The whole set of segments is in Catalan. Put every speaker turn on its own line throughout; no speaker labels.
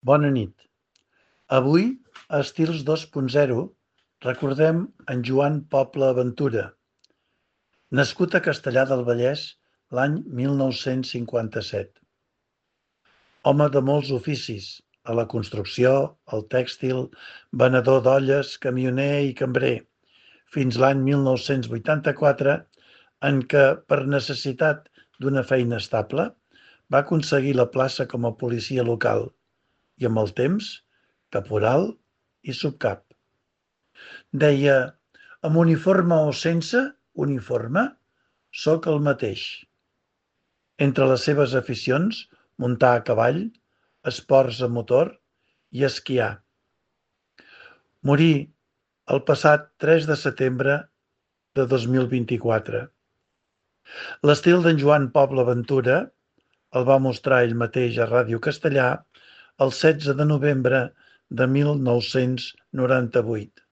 Bona nit. Avui, a Estils 2.0, recordem en Joan Poble Ventura, nascut a Castellar del Vallès l'any 1957. Home de molts oficis, a la construcció, al tèxtil, venedor d'olles, camioner i cambrer, fins l'any 1984, en què, per necessitat d'una feina estable, va aconseguir la plaça com a policia local i, amb el temps, caporal i subcap. Deia: amb uniforme o sense uniforme, sóc el mateix. Entre les seves aficions, muntar a cavall, esports a motor i esquiar. Morí el passat 3 de setembre de 2024. L'estil d'en Joan Poble Ventura el va mostrar ell mateix a Ràdio Castellà el 16 de novembre de 1998.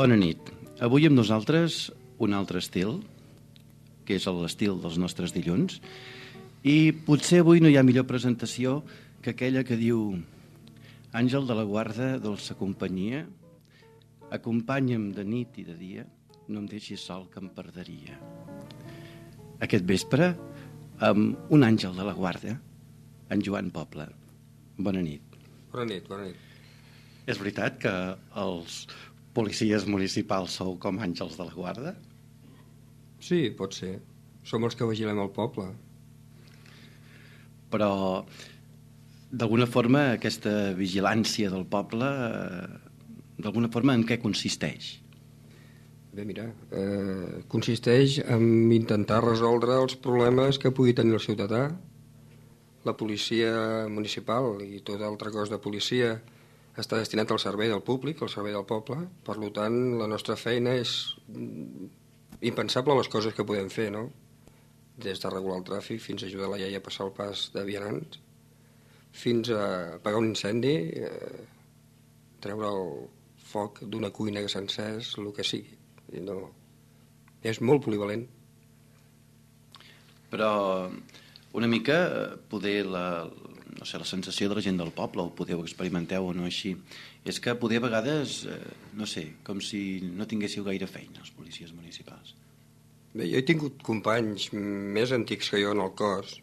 Bona nit. Avui amb nosaltres un altre estil, que és l'estil dels nostres dilluns, i potser avui no hi ha millor presentació que aquella que diu: Àngel de la guarda, dolça companyia, acompanya'm de nit i de dia, no em deixis sol que em perderia. Aquest vespre, amb un àngel de la guarda, en Joan Poble. Bona nit.
Bona nit, bona nit.
És veritat que els policies municipals sou com àngels de la guarda?
Sí, pot ser. Som els que vigilem el poble.
Però, d'alguna forma, aquesta vigilància del poble, d'alguna forma, en què consisteix?
Bé, mira, consisteix en intentar resoldre els problemes que pugui tenir el ciutadà. La policia municipal i tot altre cos de policia està destinat al servei del públic, al servei del poble. Per tant, la nostra feina és impensable les coses que podem fer, no? Des de regular el tràfic fins a ajudar la iaia a passar el pas de vianants, fins a apagar un incendi, treure el foc d'una cuina que s'ha encès, el que sigui. No. És molt polivalent.
Però una mica poder la sensació de la gent del poble, o podeu experimenteu o no així, és que poder a vegades, no sé, com si no tinguéssiu gaire feina els policies municipals.
Bé, jo he tingut companys més antics que jo en el cos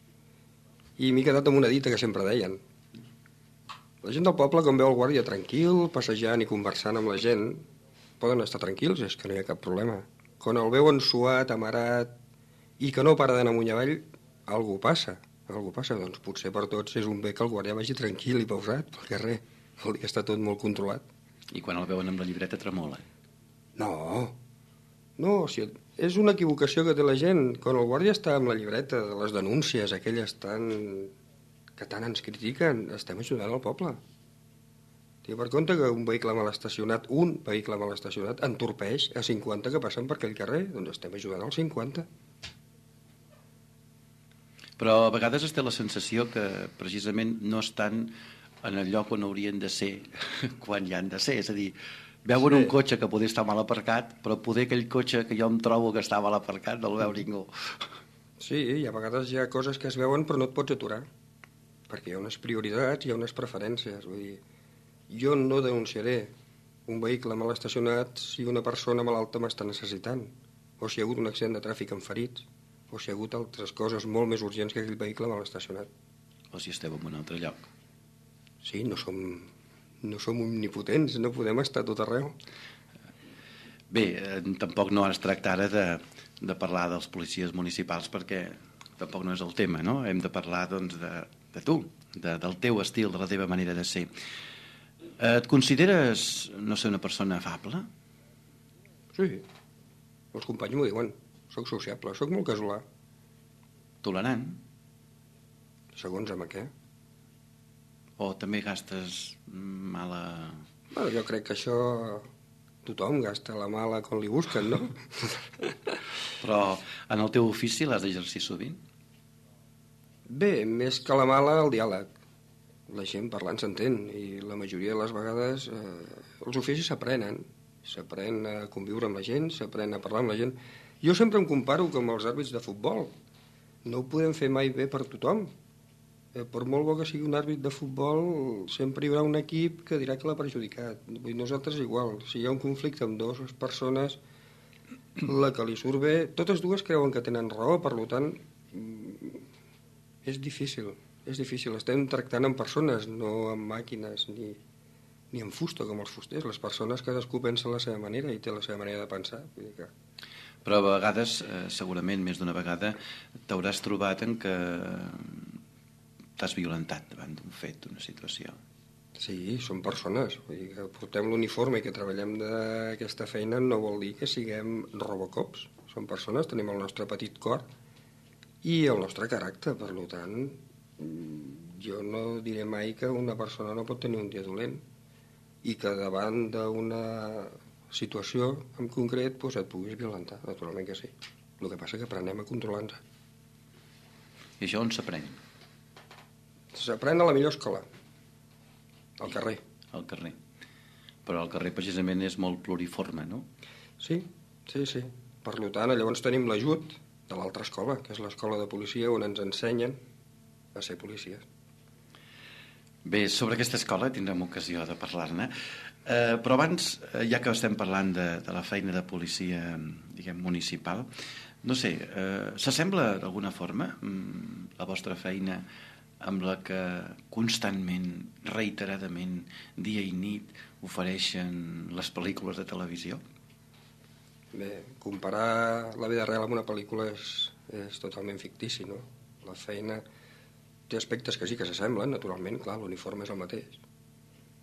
i m'he quedat amb una dita que sempre deien: la gent del poble, quan veu el guàrdia tranquil, passejant i conversant amb la gent, poden estar tranquils, és que no hi ha cap problema. Quan el veuen suat, amarat i que no para d'anar amunt i avall, algú passa. Doncs potser per tots és un bé que el guàrdia vagi tranquil i pausat pel carrer. Vol dir que està tot molt controlat.
I quan el veuen amb la llibreta tremola?
No, és una equivocació que té la gent. Quan el guàrdia està amb la llibreta de les denúncies, aquelles que tant ens critiquen, estem ajudant al poble. Tinc per compte que un vehicle mal estacionat entorpeix a 50 que passen per aquell carrer. Doncs estem ajudant als 50.
Però a vegades es té la sensació que precisament no estan en el lloc on haurien de ser quan hi han de ser. És a dir, veuen un cotxe que poder estar mal aparcat, però poder aquell cotxe que jo em trobo que està mal aparcat no el veu ningú.
Sí, i a vegades hi ha coses que es veuen però no et pots aturar, perquè hi ha unes prioritats, hi ha unes preferències. Vull dir, jo no denunciaré un vehicle mal estacionat si una persona malalta m'està necessitant, o si hi ha hagut un accident de tràfic amb ferits, o si hi ha hagut altres coses molt més urgents que aquell vehicle mal estacionat.
O si esteu en un altre lloc.
Sí, no som omnipotents, no podem estar tot arreu.
Bé, tampoc no es tracta ara de parlar dels policies municipals, perquè tampoc no és el tema, no? Hem de parlar, doncs, de tu, del teu estil, de la teva manera de ser. Et consideres, no sé, una persona afable?
Sí, els companys m'ho diuen. Soc sociable, soc molt casolà.
Tolerant?
Segons amb què?
O també gastes mala...
Bueno, jo crec que això tothom gasta la mala quan li busquen, no?
Però en el teu ofici l'has d'exercir sovint?
Bé, més que la mala, el diàleg. La gent parlant s'entén i la majoria de les vegades els oficis s'aprenen. S'aprèn a conviure amb la gent, s'aprèn a parlar amb la gent. Jo sempre em comparo com els àrbits de futbol. No ho podem fer mai bé per tothom. Per molt bo que sigui un àrbit de futbol, sempre hi haurà un equip que dirà que l'ha perjudicat. Nosaltres igual. Si hi ha un conflicte amb dues persones, la que li surt bé... Totes dues creuen que tenen raó, per tant, és difícil. És difícil. Estem tractant amb persones, no amb màquines ni amb fusta, com els fusters. Les persones cadascú pensa a la seva manera i té la seva manera de pensar. Vull dir que...
Però a vegades, segurament més d'una vegada, t'hauràs trobat en què t'has violentat davant d'un fet, d'una situació.
Sí, som persones. Vull dir que portem l'uniforme i que treballem d'aquesta feina no vol dir que siguem robocops. Som persones, tenim el nostre petit cor i el nostre caràcter. Per tant, jo no diré mai que una persona no pot tenir un dia dolent i que davant d'una situació en concret et puguis violentar, naturalment que sí. El que passa és que aprenem a controlar-nos.
I això on s'aprèn?
S'aprèn a la millor escola, al carrer.
Al carrer. Però el carrer precisament és molt pluriforme, no?
Sí. Per tant, llavors tenim l'ajut de l'altra escola, que és l'escola de policia, on ens ensenyen a ser policies.
Bé, sobre aquesta escola tindrem ocasió de parlar-ne, però abans, ja que estem parlant de la feina de policia, diguem, municipal, no sé, s'assembla d'alguna forma la vostra feina amb la que constantment, reiteradament, dia i nit, ofereixen les pel·lícules de televisió?
Bé, comparar la vida real amb una pel·lícula és totalment fictici, no? La feina té aspectes que sí que s'assemblen, naturalment, clar, l'uniforme és el mateix.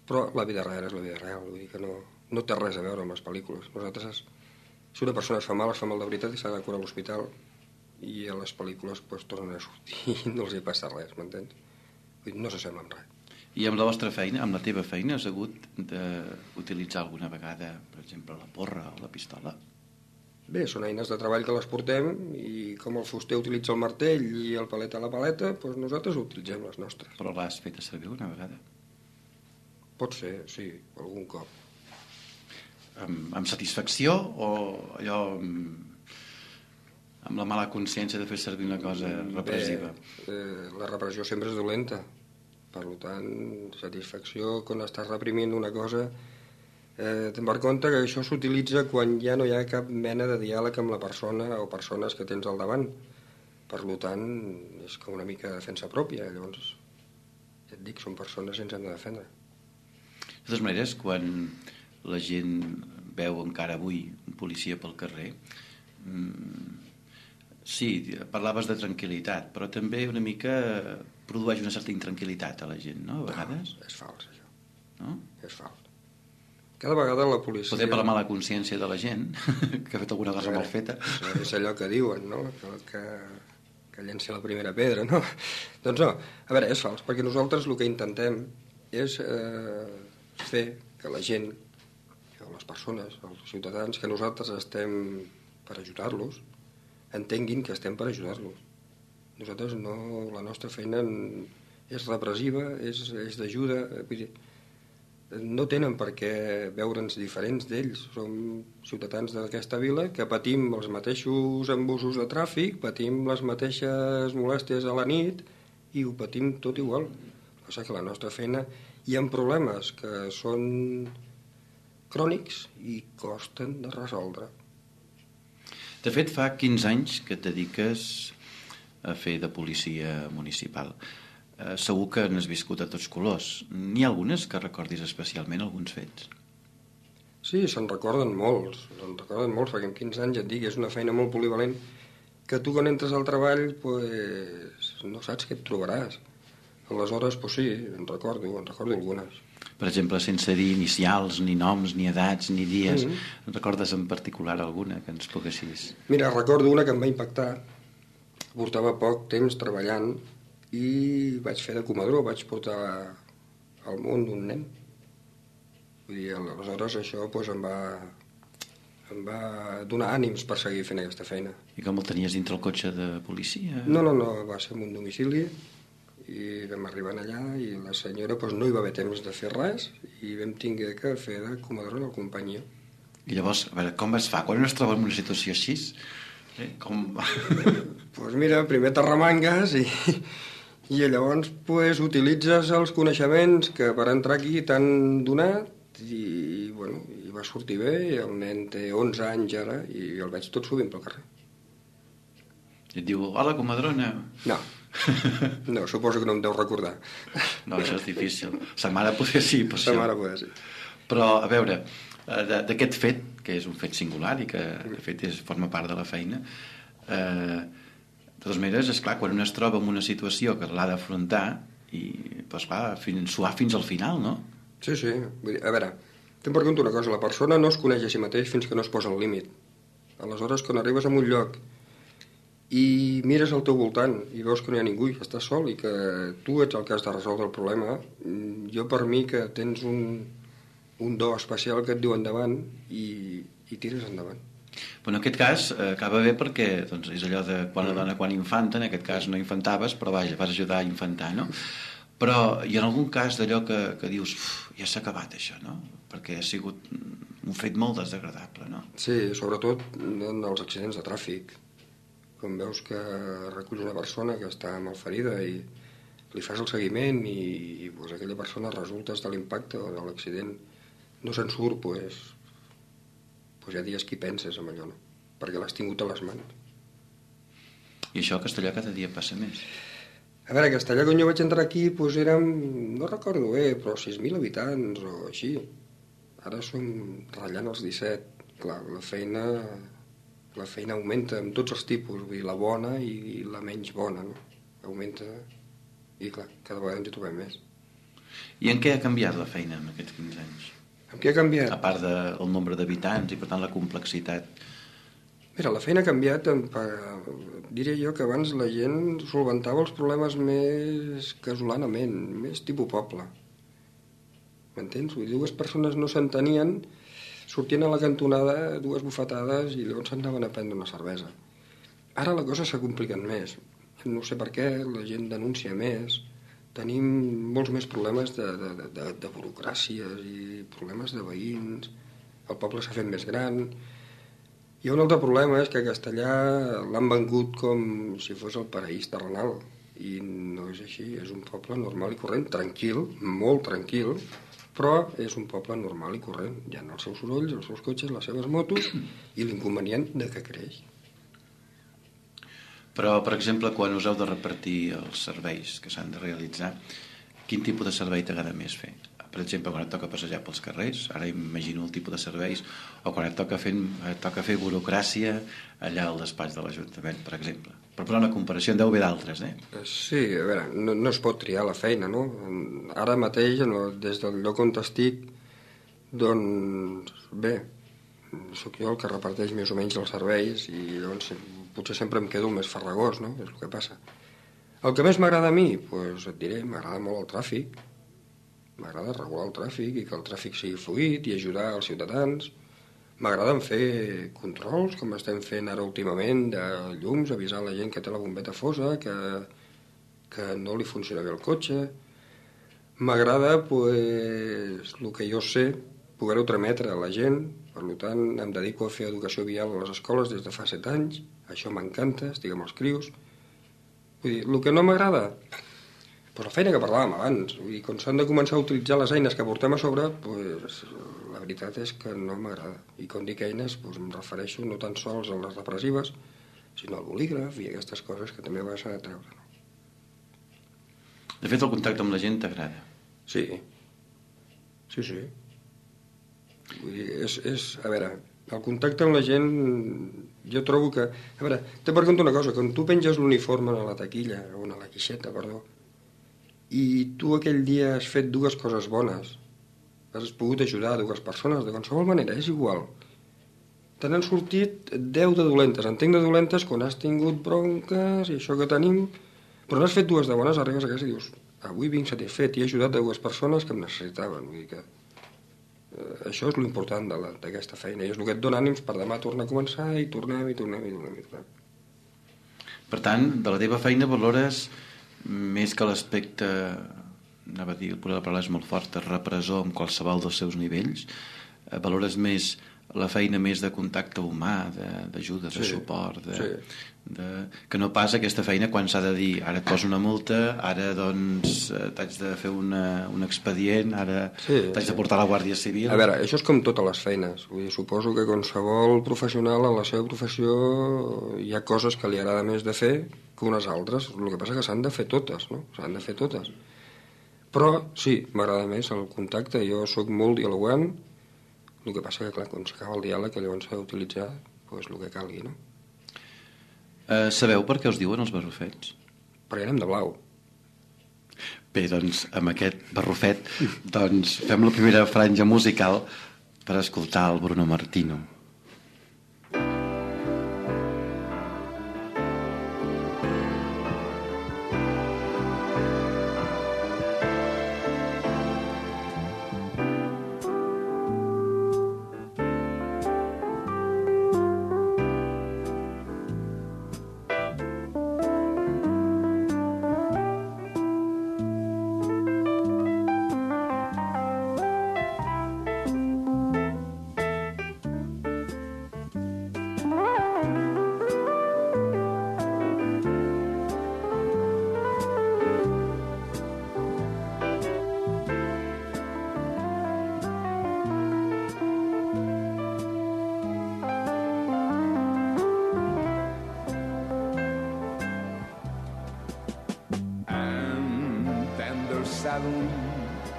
Però la vida real és la vida real, vull dir que no té res a veure amb les pel·lícules. Nosaltres, si una persona es fa mal de veritat i s'ha de curar a l'hospital, i a les pel·lícules tornen a sortir i no els hi passa res, m'entens? Vull dir, no s'assembla amb res.
I amb la vostra feina, amb la teva feina, has hagut d'utilitzar alguna vegada, per exemple, la porra o la pistola?
Bé, són eines de treball que les portem i com el fuster utilitza el martell i el paleta la paleta, doncs nosaltres utilitzem les nostres.
Però l'has fet servir una vegada?
Pot ser, sí, algun cop.
Amb satisfacció o allò amb la mala consciència de fer servir una cosa repressiva?
Bé, la repressió sempre és dolenta. Per tant, satisfacció quan estàs reprimint una cosa. Te'n vas compte que això s'utilitza quan ja no hi ha cap mena de diàleg amb la persona o persones que tens al davant. Per tant, és com una mica defensa pròpia. Llavors, ja et dic, són persones i ens hem de defendre.
De totes maneres, quan la gent veu encara avui un policia pel carrer, sí, parlaves de tranquil·litat, però també una mica produeix una certa intranquil·litat a la gent, no? A vegades.
No, és fals, això.
No?
És fals. Cada vegada la policia...
Poder per la mala consciència de la gent, que ha fet alguna cosa mal feta.
És allò que diuen, no? Que llenci la primera pedra, no? Doncs no, a veure, és fals, perquè nosaltres el que intentem és fer que la gent, que les persones, els ciutadans, que nosaltres estem per ajudar-los, entenguin que estem per ajudar-los. Nosaltres no, la nostra feina és repressiva, és d'ajuda, vull dir, no tenen per què veure'ns diferents d'ells. Som ciutadans d'aquesta vila que patim els mateixos embussos de tràfic, patim les mateixes molèsties a la nit i ho patim tot igual. El que passa és que la nostra feina hi ha problemes que són crònics i costen de resoldre.
De fet, fa 15 anys que et dediques a fer de policia municipal. Segur que n'has viscut a tots colors. N'hi ha algunes que recordis especialment, alguns fets?
Sí, se'n recorden molts, perquè en 15 anys, et dic, és una feina molt polivalent que tu quan entres al treball pues, no saps què et trobaràs. Aleshores, pues sí, en recordo algunes.
Per exemple, sense dir inicials, ni noms, ni edats, ni dies. Recordes en particular alguna que ens poguessis?
Mira, recordo una que em va impactar. Portava poc temps treballant i vaig fer de comadró, vaig portar al món d'un nen. Vull dir, aleshores això doncs, em va donar ànims per seguir fent aquesta feina.
I com el tenies dintre el cotxe de policia?
No, va ser en un domicili i vam arribar allà i la senyora doncs, no hi va haver temps de fer res i vam tinguer que fer de comadrona al companyó.
I llavors, a veure, com es fa? Quan es troba en una situació així? Com...
Doncs mira, primer t'arremangues i llavors pues, utilitzes els coneixements que per entrar aquí t'han donat i, bueno, i va sortir bé. El nen té 11 anys ara i el veig tot sovint pel carrer.
I et diu, hola, comadrona.
No, suposo que no em deu recordar.
No, això és difícil. Sa mare poder sí, per
Sa mare poder sí.
Però, a veure, d'aquest fet, que és un fet singular i que, de fet, forma part de la feina, de totes maneres, esclar, quan un es troba en una situació que l'ha d'afrontar i, doncs, clar, suar fins al final, no?
Sí. Vull dir, a veure, em pregunto una cosa. La persona no es coneix a si mateix fins que no es posa al límit. Aleshores, quan arribes a un lloc i mires al teu voltant i veus que no hi ha ningú i que estàs sol i que tu ets el que has de resoldre el problema, jo per mi que tens un do especial que et diu endavant i tires endavant.
Però en aquest cas acaba bé perquè doncs, és allò de quan la dona quan infanta, en aquest cas no infantaves, però vaja, vas ajudar a infantar, no? Però hi ha algun cas d'allò que dius ja s'ha acabat això, no? Perquè ha sigut un fet molt desagradable, no?
Sí, sobretot en els accidents de tràfic. Quan veus que reculls una persona que està malferida i li fas el seguiment i pues, aquella persona resulta de l'impacte o de l'accident no se'n surt, pues ja dies qui penses amb allò, no? Perquè l'has tingut a les mans.
I això a Castellà cada dia passa més.
A veure, a Castellà, quan jo vaig entrar aquí, doncs érem, no recordo bé, però 6.000 habitants o així. Ara som ratllant els 17. Clar, la feina augmenta amb tots els tipus, vull dir, la bona i la menys bona, no? Augmenta i, clar, cada vegada ens hi trobem més.
I en què ha canviat la feina en aquests 15 anys?
En què ha canviat?
A part del nombre d'habitants i, per tant, la complexitat.
Mira, la feina ha canviat, diria jo que abans la gent solventava els problemes més casolanament, més tipus poble. M'entens? Vull dir, dues persones no s'entenien, sortien a la cantonada dues bufetades i llavors s'anaven a prendre una cervesa. Ara la cosa s'ha complicat més. No sé per què, la gent denuncia més. Tenim molts més problemes de burocràcies i problemes de veïns. El poble s'ha fet més gran. Hi ha un altre problema, és que a Castellà l'han vengut com si fos el paraís terrenal. I no és així, és un poble normal i corrent, tranquil, molt tranquil, però és un poble normal i corrent. Hi ha els seus sorolls, els seus cotxes, les seves motos i l'inconvenient de que creix.
Però, per exemple, quan us heu de repartir els serveis que s'han de realitzar, quin tipus de servei t'agrada més fer? Per exemple, quan et toca passejar pels carrers, ara imagino el tipus de serveis, o quan et toca fer burocràcia allà al despatx de l'Ajuntament, per exemple. Per posar una comparació, en deu haver d'altres,
Sí, a veure, no es pot triar la feina, no? Ara mateix, des del lloc on estic, doncs, bé, sóc jo el que reparteix més o menys els serveis i llavors potser sempre em quedo el més farragós, no? És el que passa. El que més m'agrada a mi, doncs et diré, m'agrada molt el tràfic. M'agrada regular el tràfic i que el tràfic sigui fluid i ajudar els ciutadans. M'agraden fer controls, com estem fent ara últimament, de llums, avisar la gent que té la bombeta fosa, que no li funciona bé el cotxe. M'agrada, doncs, el que jo sé, poder-ho trametre a la gent. Per tant, em dedico a fer educació vial a les escoles des de fa 7 anys. Això m'encanta, estic amb els crios. Vull dir, el que no m'agrada, doncs la feina que parlàvem abans. Vull dir, quan s'han de començar a utilitzar les eines que portem a sobre, doncs, la veritat és que no m'agrada. I quan dic eines, doncs, em refereixo no tan sols a les repressives, sinó al bolígraf i aquestes coses que també vas a treure. No?
De fet, el contacte amb la gent t'agrada?
Sí. Vull dir, a veure, el contacte amb la gent, jo trobo que... A veure, te pregunto una cosa, quan tu penges l'uniforme a la taquilla, o a la quixeta, perdó, i tu aquell dia has fet dues coses bones, has pogut ajudar dues persones, de qualsevol manera, és igual. Te n'han sortit 10 de dolentes. Entenc de dolentes quan has tingut bronques i això que tenim, però n'has fet dues de bones, arribes a casa i dius, avui vinc satisfet i he ajudat 2 persones que em necessitaven. Vull dir que això és l'important d'aquesta feina i és el que et dona ànims per demà tornar a començar i tornem.
Per tant, de la teva feina valores més que l'aspecte, anava a dir, la paraula és molt forta, repressor amb qualsevol dels seus nivells, valores més la feina més de contacte humà, d'ajuda, de suport, que no pas aquesta feina quan s'ha de dir ara et poso una multa, ara doncs t'haig de fer un expedient, ara t'haig de portar a la Guàrdia Civil.
A veure, això és com totes les feines. Vull dir, suposo que qualsevol professional en la seva professió hi ha coses que li agrada més de fer que unes altres. El que passa que s'han de fer totes, no? S'han de fer totes. Però sí, m'agrada més el contacte. Jo sóc molt dialogant. El que passa que, clar, quan s'acaba el diàleg, llavors s'ha d'utilitzar el que calgui, no?
Sabeu per què us diuen els barrufets?
Perquè anem de blau.
Bé, doncs, amb aquest barrufet, doncs, fem la primera franja musical per escoltar el Bruno Martino.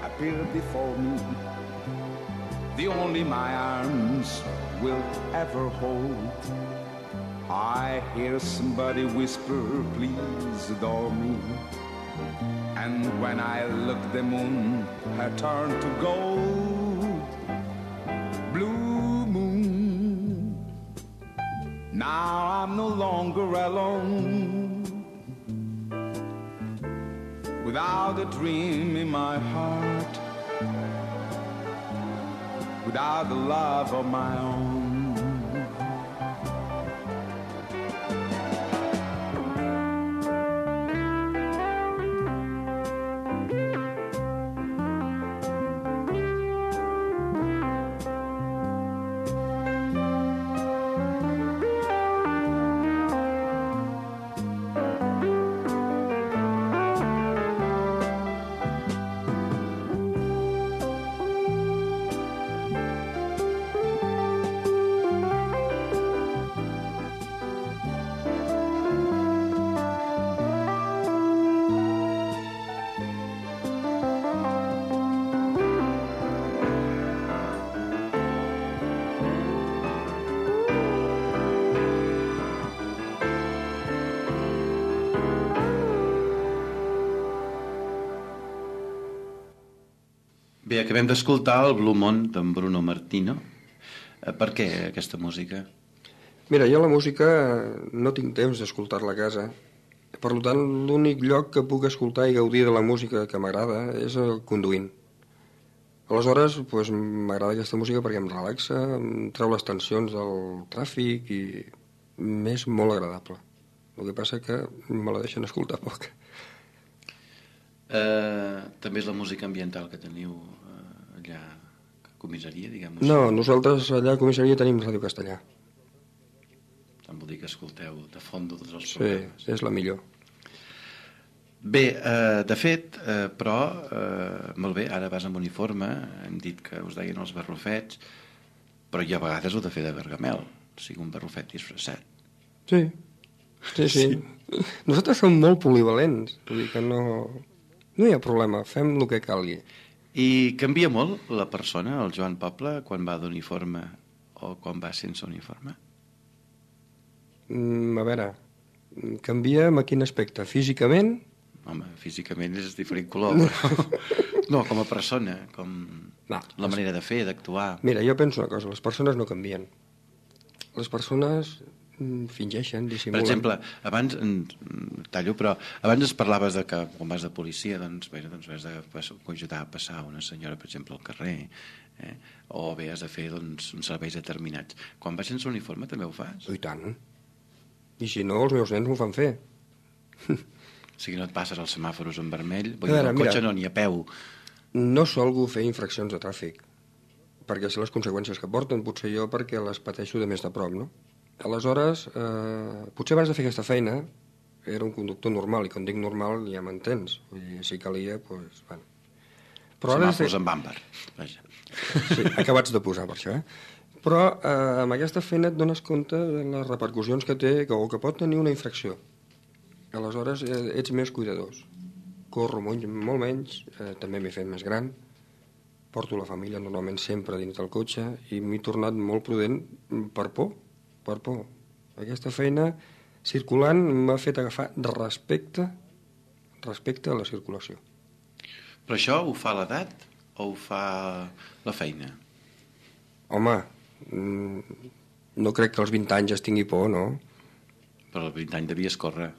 Appeared before me, the only my arms will ever hold. I hear somebody whisper, please adore me. And when I look, the moon had turned to gold. Blue moon, now I'm no longer alone. Without a dream in my heart, without the love of my own.
Bé, acabem d'escoltar el Blue Moon d'en Bruno Martino. Per què aquesta música?
Mira, jo la música no tinc temps d'escoltar-la a casa. Per tant, l'únic lloc que puc escoltar i gaudir de la música que m'agrada és el conduint. Aleshores, doncs, m'agrada aquesta música perquè em relaxa, em treu les tensions del tràfic i m'és molt agradable. El que passa que me la deixen escoltar poc.
També és la música ambiental que teniu allà a comissaria, diguem-ho
així? No, nosaltres allà a comissaria tenim Ràdio Castellà.
Tant vol dir que escolteu de fons tots els programes.
Sí, és la millor.
Bé, de fet, però, molt bé, ara vas amb uniforme, hem dit que us deien els barrufets, però hi ha vegades ho de fer de Gargamel, o sigui, un barrufet disfressat.
Sí. Nosaltres som molt polivalents, vull dir que no hi ha problema, fem el que calgui.
I canvia molt la persona, el Joan Poble, quan va d'uniforme o quan va sense uniforme?
A veure, canvia en quin aspecte? Físicament?
Home, físicament és diferent color, però... No, com a persona, com la manera de fer, d'actuar.
Mira, jo penso una cosa, les persones no canvien. Les persones Fingeixen,
Per
dissimulen.
exemple, abans, tallo, però abans es parlaves de que quan vas de policia doncs has d'ajudar a passar una senyora, per exemple, al carrer, o bé has de fer uns serveis determinats. Quan vas sense uniforme també ho fas?
I tant. I si no, els meus nens m'ho fan fer.
O sigui, no et passes els semàforos en vermell,
A veure,
el cotxe no ni a peu.
No solgo fer infraccions de tràfic, perquè sé les conseqüències que porten, potser jo perquè les pateixo de més de prop, no? Aleshores, potser abans de fer aquesta feina era un conductor normal, i quan dic normal ja m'entens. Vull dir, si calia, doncs... Bueno. Però ara
Semàfors en bàmper, vaja.
Sí, acabats de posar per això, Però amb aquesta feina et dones compte de les repercussions que té o que pot tenir una infracció. Aleshores ets més cuidadós. Corro molt menys, també m'he fet més gran, porto la família normalment sempre dins del cotxe i m'he tornat molt prudent per por. Aquesta feina circulant m'ha fet agafar respecte a la circulació.
Però això ho fa l'edat o ho fa la feina?
Home, no crec que als 20 anys es tingui por, no?
Però als 20 anys devies córrer.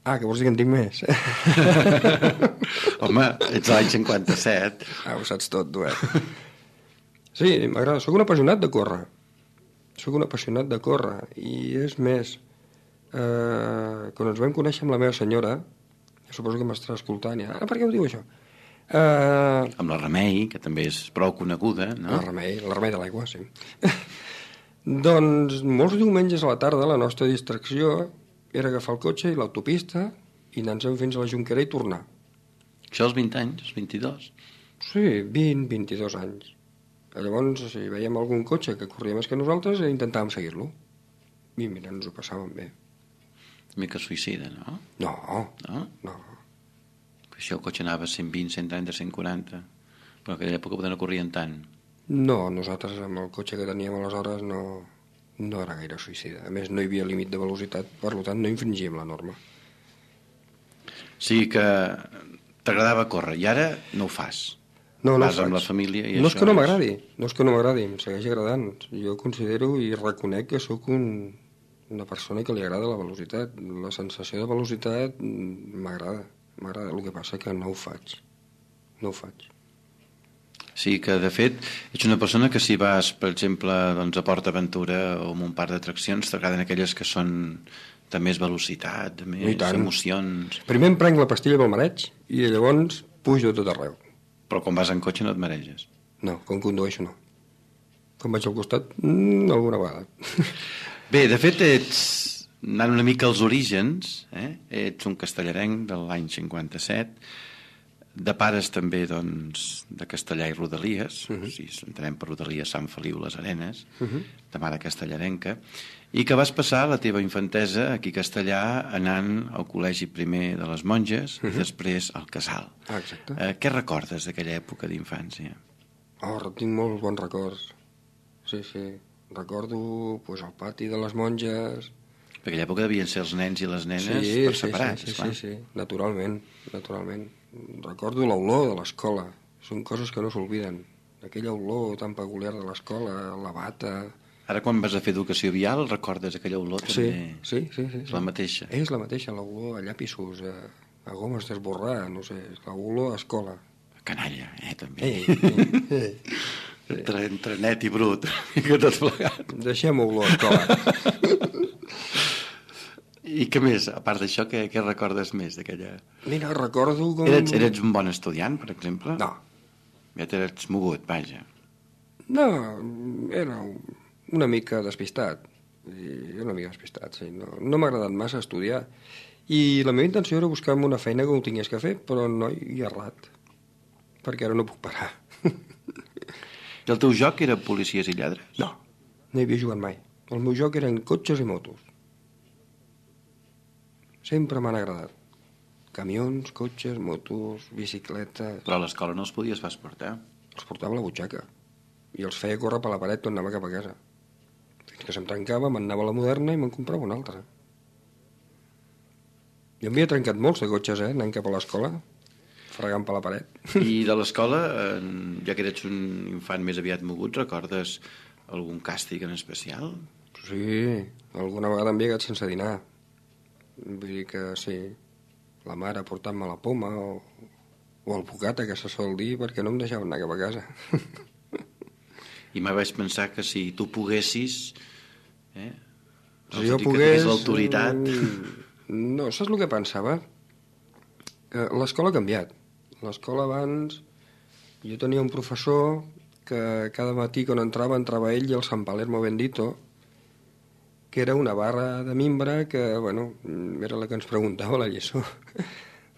Ah, que vols dir que en tinc més?
Home, ets l'any 57.
Ho saps tot, tu, Sí, m'agrada. Soc un apassionat de córrer. I és més, quan ens vam conèixer amb la meva senyora, suposo que m'estarà escoltant, per què ho diu això?
Amb la Remei, que també és prou coneguda, no?
La Remei de l'aigua, sí. Doncs molts diumenges a la tarda la nostra distracció era agafar el cotxe i l'autopista i anar-se'n fins a la Jonquera i tornar.
Això als 20 anys, als 22?
Sí, 22 anys. Llavors, si veiem algun cotxe que corria més que nosaltres, intentàvem seguir-lo. I mira, ens ho passàvem bé.
Una mica suïcida, no?
No.
Això el cotxe anava a 120, 130, 140. Però en aquella època no corrien tant.
No, nosaltres amb el cotxe que teníem aleshores no era gaire suïcida. A més, no hi havia límit de velocitat, per tant, no infringíem la norma.
Sí que t'agradava córrer, i ara no ho fas.
No
Vas
ho faig.
amb la família i
no
això
és que no m'agradi, em segueix agradant. Jo considero i reconec que sóc una persona que li agrada la velocitat. La sensació de velocitat m'agrada. El que passa que no ho faig.
Sí, que de fet ets una persona que si vas, per exemple, doncs, a Port Aventura o a un parc d'atraccions, t'agraden aquelles que són de més velocitat, de més emocions.
Primer em prenc la pastilla pel mareig i llavors pujo tot arreu.
Però quan vas en cotxe no et mareges?
No, quan condueixo no. Quan vaig al costat, alguna vegada.
Bé, de fet ets, anant una mica als orígens, ets un castellarenc de l'any 57, de pares també doncs, de Castellà i Rodalies, si entenem per Rodalies Sant Feliu les Arenes, de mare castellarenca, i que vas passar la teva infantesa aquí a Castellà anant al col·legi primer de les monges i després al casal.
Exacte.
Què recordes d'aquella època d'infància?
Tinc molts bons records. Sí. Recordo el pati de les monges.
Per aquella època devien ser els nens i les nenes per separats.
Sí, naturalment. Recordo l'olor de l'escola. Són coses que no s'obliden. Aquella olor tan peculiar de l'escola, la bata...
Ara quan vas a fer educació vial recordes aquella olor també?
Sí.
És la mateixa?
És la mateixa, l'olor a llapisos, a gomes d'esborrar, no sé, l'olor a escola.
Canalla, també. Entre net i brut, que tot plegat.
Deixem olor a escola.
I què més? A part d'això, què recordes més d'aquella...
Mira, recordo com...
Eres un bon estudiant, per exemple?
No.
Ja t'eres mogut, vaja.
No, era una mica despistat. Sí. No m'ha agradat massa estudiar. I la meva intenció era buscar-me una feina que ho tingués que fer, però no hi ha errat. Perquè ara no puc parar.
I el teu joc era policies i lladres?
No hi havia jugat mai. El meu joc eren cotxes i motos. Sempre m'han agradat. Camions, cotxes, motos, bicicletes...
Però a l'escola no els podies pas portar.
Els portava a la butxaca. I els feia córrer per la paret quan anava cap a casa. Fins que se'm trencava, me'n anava a la Moderna i me'n comprava una altra. Jo m'havia trencat molts de cotxes, anant cap a l'escola, fregant per la paret.
I de l'escola, ja que eres un infant més aviat mogut, recordes algun càstig en especial?
Sí, alguna vegada em he quedat sense dinar. Vull dir que sí, la mare portant-me la poma o el bocata, que se sol dir, perquè no em deixaven anar cap a casa.
I mai vaig pensar que si tu poguessis,
Si jo
que
pogués...
tingués l'autoritat...
No, saps el que pensava? L'escola ha canviat. L'escola abans... Jo tenia un professor que cada matí quan entrava ell i el San Palermo Bendito, que era una barra de mimbre que, bueno, era la que ens preguntava la lliçó.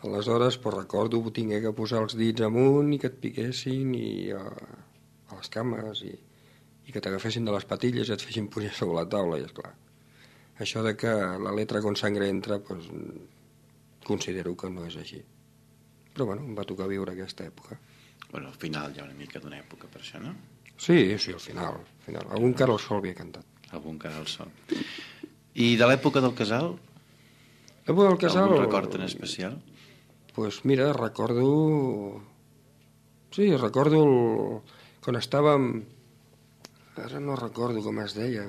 Aleshores, pues, recordo tingué que posar els dits amunt i que et piquessin a les cames i que t'agafessin de les patilles i et fessin pujar sobre la taula, i esclar. Això de que la letra con sangre entra, pues, considero que no és així. Però, bueno, em va tocar viure aquesta època.
Bueno, al final hi ha una mica d'una època per això, no?
Sí, al final. Algun cara al sol havia cantat.
Algun cara al sol. I de l'època del casal?
L'època del casal...
Algun record en especial?
Pues mira, recordo... Sí, recordo quan estàvem... Ara no recordo com es deia,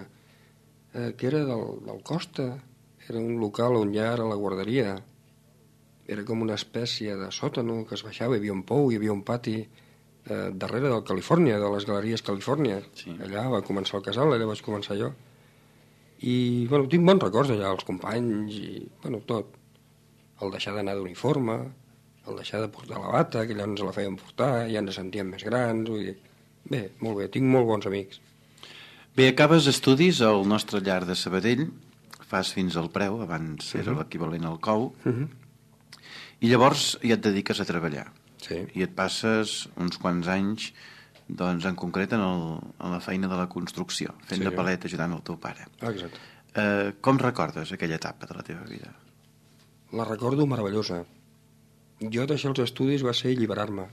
que era del Costa. Era un local on ja era la guarderia. Era com una espècie de sòtano que es baixava, hi havia un pou, hi havia un pati darrere del Califòrnia, de les galeries Califòrnia. Sí. Allà va començar el casal, allà vaig començar jo. I, bueno, tinc bons records allà, els companys i, bueno, tot. El deixar d'anar d'uniforme, el deixar de portar la bata, que allà ens la feien portar, ja ens sentíem més grans, vull dir... Bé, molt bé, tinc molt bons amics.
Bé, acabes estudis al nostre llar de Sabadell, fas fins al Preu, abans era l'equivalent al COU, i llavors ja et dediques a treballar.
Sí.
I et passes uns quants anys, doncs, en concret en la feina de la construcció, fent de palet ajudant el teu pare.
Exacte.
Com recordes aquella etapa de la teva vida?
La recordo meravellosa. Jo deixar els estudis va ser alliberar-me.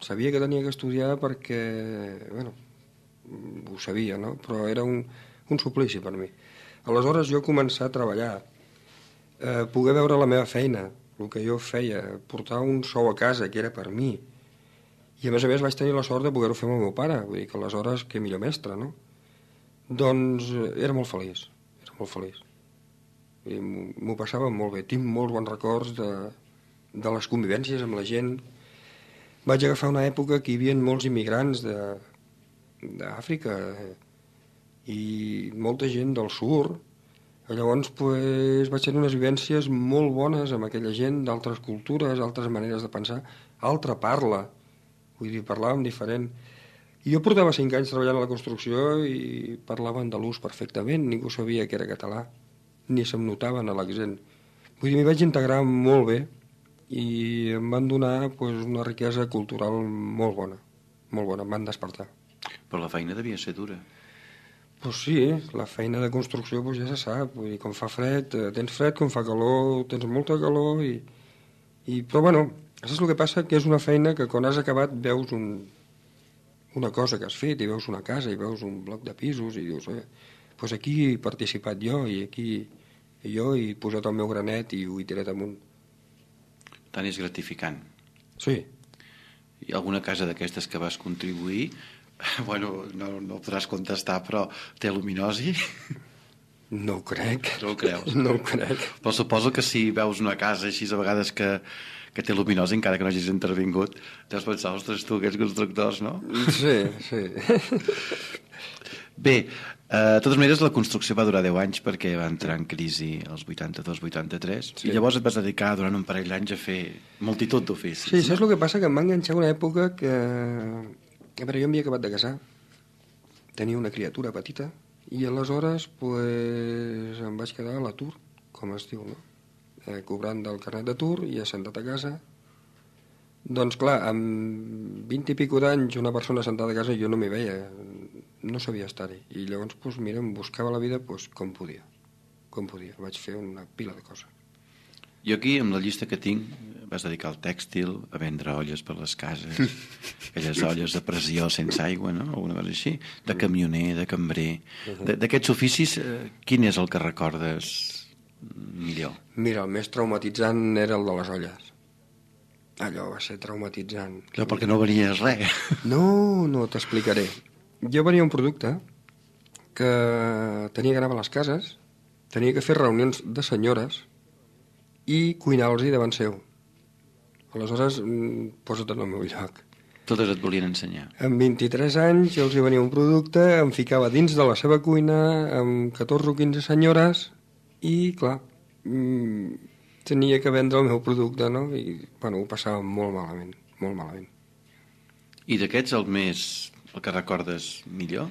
Sabia que tenia que estudiar perquè, bueno, ho sabia, no? Però era un suplici per mi. Aleshores jo començar a treballar, poder veure la meva feina, el que jo feia, portar un sou a casa que era per mi, i a més vaig tenir la sort de poder-ho fer amb el meu pare, vull dir que aleshores que millor mestre, no? Doncs era molt feliç, m'ho passava molt bé, tinc molts bons records de les convivències amb la gent. Vaig agafar una època que hi havia molts immigrants d'Àfrica i molta gent del sud. Llavors vaig tenir unes vivències molt bones amb aquella gent d'altres cultures, altres maneres de pensar, altra parla, vull dir, parlàvem diferent. I jo portava 5 anys treballant a la construcció i parlava andalús perfectament, ningú sabia que era català, ni se'm notaven a l'accent. Vull dir, m'hi vaig integrar molt bé i em van donar una riquesa cultural molt bona, em van despertar.
Però la feina devia ser dura.
Pues sí, la feina de construcció ja se sap, vull dir, quan fa fred, tens fred, quan fa calor, tens molta calor, però bueno, saps el que passa? Que és una feina que quan has acabat veus una cosa que has fet, i veus una casa, i veus un bloc de pisos, i dius, doncs aquí he participat jo, i aquí jo he posat el meu granet i ho he tirat amunt.
Tant és gratificant.
Sí.
Hi ha alguna casa d'aquestes que vas contribuir? Bueno, no podràs contestar, però té luminosi?
No ho crec.
No ho creus?
No ho crec.
Però suposo que si veus una casa així a vegades que té luminosi, encara que no hagis intervingut, deus pensar, ostres, tu, aquests constructors, no?
Sí.
Bé, de totes maneres, la construcció va durar 10 anys perquè va entrar en crisi els 82-83, i llavors et vas dedicar durant un parell d'anys a fer multitud d'oficis.
Sí, saps el que passa? Que em va enganxar una època que... A veure, jo m'havia acabat de casar, tenia una criatura petita, i aleshores em vaig quedar a l'atur, com es diu, no? Cobrant del carnet d'atur i assentat a casa. Doncs clar, amb 20 i pico d'anys una persona sentada a casa jo no m'hi veia, no sabia estar-hi. I llavors, mira, em buscava la vida com podia. Vaig fer una pila de coses.
Jo aquí, amb la llista que tinc, vas dedicar al tèxtil, a vendre olles per les cases, aquelles olles de pressió sense aigua, no? Alguna cosa així, de camioner, de cambrer. D'aquests oficis, quin és el que recordes millor?
Mira, el més traumatitzant era el de les olles. Allò va ser traumatitzant.
Clar, perquè no venies res.
No, t'explicaré. Jo venia un producte que tenia que anar a les cases, tenia que fer reunions de senyores i cuinar-los-hi davant seu. Aleshores, posa't en el meu lloc.
Totes et volien ensenyar.
Amb 23 anys els hi venia un producte, em ficava dins de la seva cuina amb 14 o 15 senyores i, clar, tenia que vendre el meu producte, no? I, bueno, ho passava molt malament, molt malament.
I d'aquests el que recordes millor?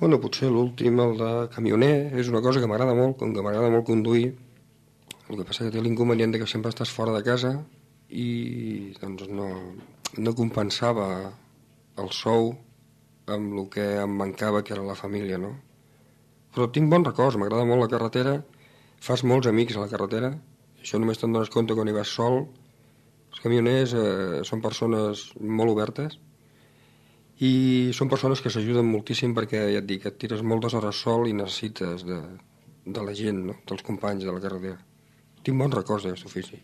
Bueno, potser l'últim, el de camioner, és una cosa que m'agrada molt, com que m'agrada molt conduir. El que passa que té l'inconvenient que sempre estàs fora de casa i doncs no compensava el sou amb el que em mancava, que era la família, no? Però tinc bons records, m'agrada molt la carretera, fas molts amics a la carretera, això només te'n dones compte quan hi vas sol. Els camioners són persones molt obertes i són persones que s'ajuden moltíssim perquè, ja et dic, et tires moltes hores sol i necessites de la gent, no? Dels companys de la carretera. Tinc bons records d'aquest ofici.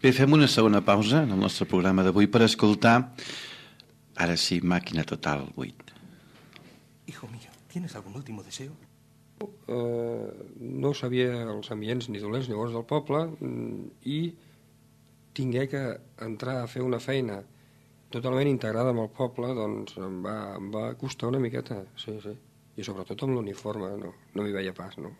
Bé, fem una segona pausa en el nostre programa d'avui per escoltar, ara sí, Màquina Total 8.
Hijo mío, ¿tienes algún último deseo?
No sabia els ambients ni dolents ni bons del poble i tingué que entrar a fer una feina totalment integrada amb el poble, doncs em va costar una miqueta, sí. I sobretot amb l'uniforme, no m'hi veia pas, no?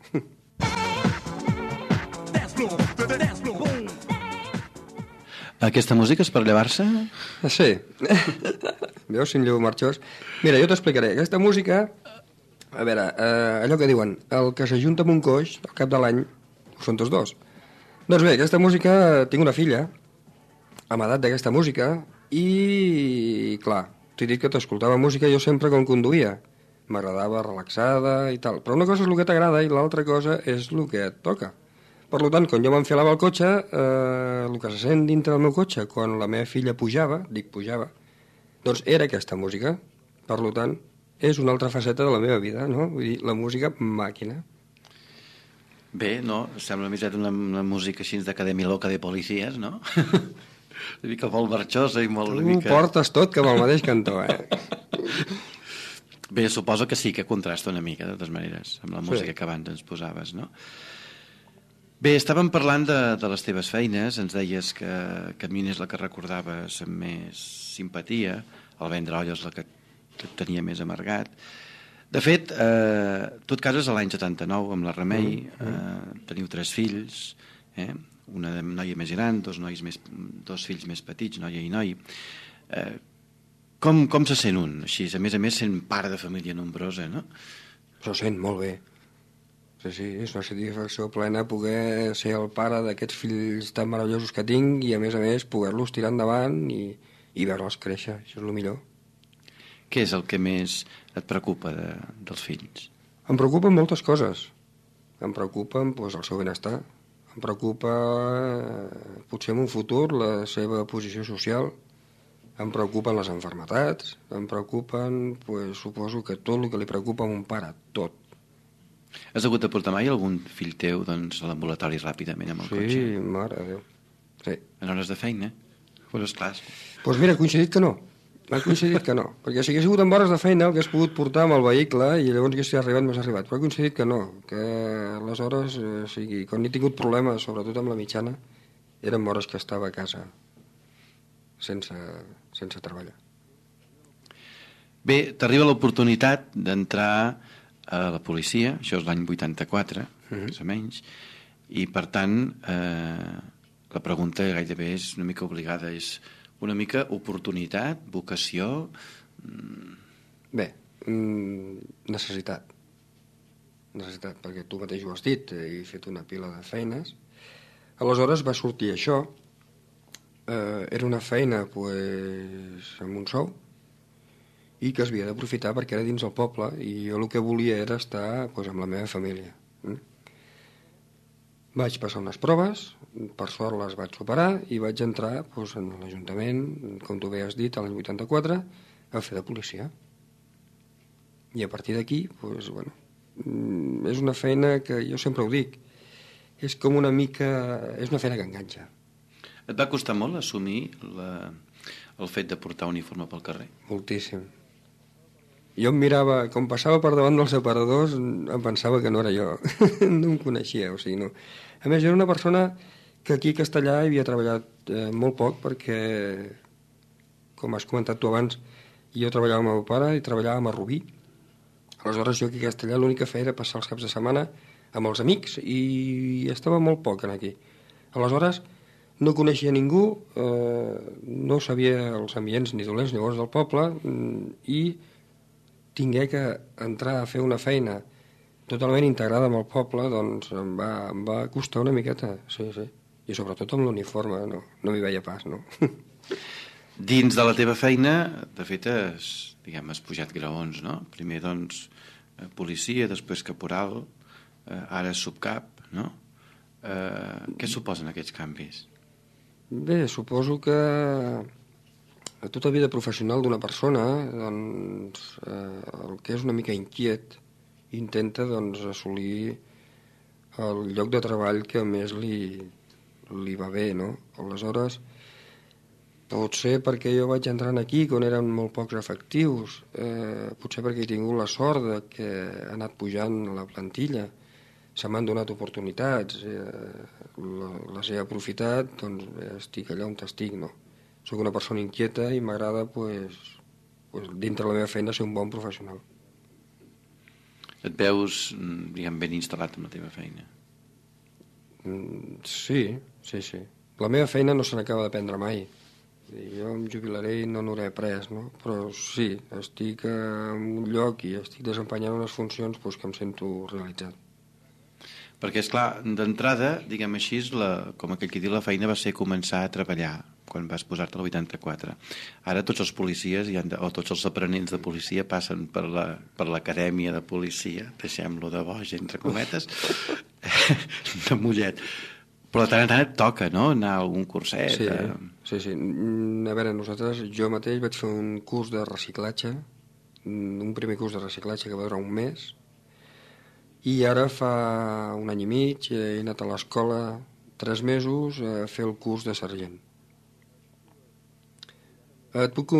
Aquesta música és per llevar-se?
Sí. Veus, si em llevo marxós? Mira, jo t'explicaré. Aquesta música, a veure, allò que diuen, el que s'ajunta amb un coix al cap de l'any ho són tots dos. Doncs bé, aquesta música, tinc una filla amb edat d'aquesta música i, clar, t'he dit que t'escoltava música jo sempre quan conduïa. M'agradava relaxada i tal. Però una cosa és el que t'agrada i l'altra cosa és el que et toca. Per tant, quan jo m'enfilava al cotxe, el que se sent dintre del meu cotxe, quan la meva filla pujava, doncs era aquesta música. Per tant, és una altra faceta de la meva vida, no? Vull dir, la música màquina.
Bé, no? Sembla més una música així d'acadèmia loca de policies, no? Una mica molt marxosa i molt...
Tu portes tot cap al mateix cantó,
Bé, suposo que sí, que contrasta una mica, de totes maneres, amb la música que abans ens posaves, no? Bé, estàvem parlant de les teves feines, ens deies que a mi és la que recordaves amb més simpatia, el vendre olles la que et tenia més amargat. De fet, tu et cases a l'any 79 amb la Remei, teniu 3 fills, una noia més gran, 2 fills més petits, noia i noi. Com se sent un, així? A més, sent pare de família nombrosa, no?
S'ho sent molt bé. Sí, és una satisfacció plena poder ser el pare d'aquests fills tan meravellosos que tinc i, a més, poder-los tirar endavant i veure'ls créixer. Això és el millor.
Què és el que més et preocupa dels fills?
Em preocupen moltes coses. Em preocupen el seu benestar. Em preocupa, potser en un futur, la seva posició social. Em preocupen les malalties. Em preocupen, suposo que tot el que li preocupa a un pare, tot.
Has hagut de portar mai algun fill teu a l'ambulatori ràpidament amb el cotxe?
Sí, mare de Déu. Sí.
En hores de feina? Pues esclar.
Doncs mira, ha coincidit que no. Perquè si hagués sigut amb hores de feina el que has pogut portar amb el vehicle i llavors hagués arribat, m'has arribat. Però ha coincidit que no, que aleshores, quan he tingut problemes, sobretot amb la mitjana, eren hores que estava a casa sense treballar.
Bé, t'arriba l'oportunitat d'entrar a la policia, això és l'any 84, més o menys, i per tant la pregunta gairebé és una mica obligada, és una mica oportunitat, vocació...
Bé, necessitat, perquè tu mateix ho has dit, he fet una pila de feines, aleshores va sortir això, era una feina amb un sou, i que es havia d'aprofitar perquè era dins el poble i jo el que volia era estar amb la meva família. Vaig passar unes proves, per sort les vaig superar i vaig entrar en l'Ajuntament, com tu bé has dit, l'any 84, a fer de policia. I a partir d'aquí, és una feina que jo sempre ho dic, és com una mica... és una feina que enganxa.
Et va costar molt assumir el fet de portar uniforme pel carrer?
Moltíssim. Jo em mirava, com passava per davant dels aparadors, em pensava que no era jo. No em coneixia, o sigui, no. A més, jo era una persona que aquí a Castellà havia treballat molt poc perquè, com has comentat tu abans, jo treballava amb el meu pare i treballàvem a Rubí. Aleshores, jo aquí a Castellà l'únic que feia era passar els caps de setmana amb els amics i estava molt poc aquí. Aleshores, no coneixia ningú, no sabia els ambients ni dolents ni bons del poble i tingué que entrar a fer una feina totalment integrada amb el poble, doncs em va costar una miqueta, sí. I sobretot amb l'uniforme, no m'hi veia pas, no?
Dins de la teva feina, de fet, has pujat graons, no? Primer, doncs, policia, després caporal, ara subcap, no? Què suposen aquests canvis?
Bé, suposo que a tota vida professional d'una persona, doncs, el que és una mica inquiet intenta, doncs, assolir el lloc de treball que més li va bé, no? Aleshores, pot ser perquè jo vaig entrant aquí quan eren molt pocs efectius, potser perquè he tingut la sort de que ha anat pujant la plantilla, se m'han donat oportunitats, les he aprofitat, doncs estic allà on estic, no? Soc una persona inquieta i m'agrada, dintre la meva feina, ser un bon professional.
Et veus, ben instal·lat en la teva feina?
Sí. La meva feina no se n'acaba d'aprendre mai. Jo em jubilaré i no n'hauré après, no? Però sí, estic en un lloc i estic desempenyant unes funcions que em sento realitzat.
Perquè, esclar, d'entrada, diguem així, com aquell que diu, la feina va ser començar a treballar quan vas posar-te al 84. Ara tots els policies o tots els aprenents de policia passen per l'acadèmia de policia, deixem-lo de boig, entre cometes, de Mollet. Però de tant en tant et toca, no?, anar a algun curset.
Sí. A veure, jo mateix vaig fer un curs de reciclatge, un primer curs de reciclatge que va durar un mes, i ara fa un any i mig he anat a l'escola 3 mesos a fer el curs de sergent. Et puc...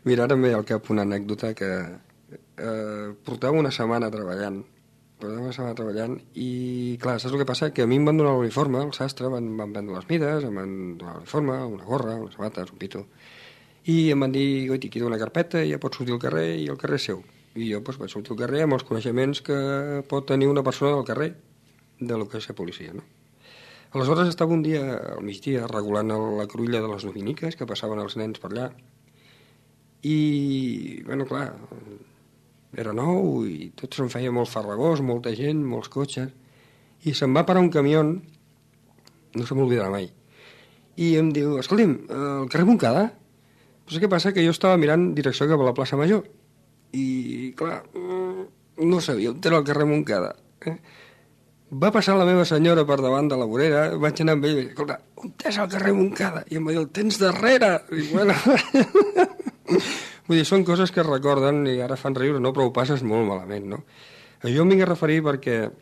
Mira, ara em ve al cap una anècdota que portava una setmana treballant i, clar, saps el que passa? Que a mi em van donar l'uniforme, el sastre, van prendre les mides, em van donar l'uniforme, una gorra, unes sabates, un pito, i em van dir, goiti, aquí una carpeta, ja pots sortir al carrer i el carrer és seu. I jo vaig sortir al carrer amb els coneixements que pot tenir una persona del carrer de lo que és ser policia, no? Aleshores estava un dia, al migdia, regulant la cruïlla de les dominiques que passaven els nens per allà. I, bueno, clar, era nou i tot se'm feia molt farragós, molta gent, molts cotxes. I se'm va parar un camió, no se m'oblidarà mai, i em diu, escolti'm, el carrer Montcada? Però què passa? Que jo estava mirant direcció cap a la plaça Major. I, clar, no sabia on era el carrer Montcada. Va passar la meva senyora per davant de la vorera, vaig anar amb ell i vaig dir, escolta, on és el carrer Montcada? I em va dir, el tens darrere. I, bueno... Vull dir, són coses que es recorden i ara fan riure, no? Però ho passes molt malament, no? Jo em vinc a referir perquè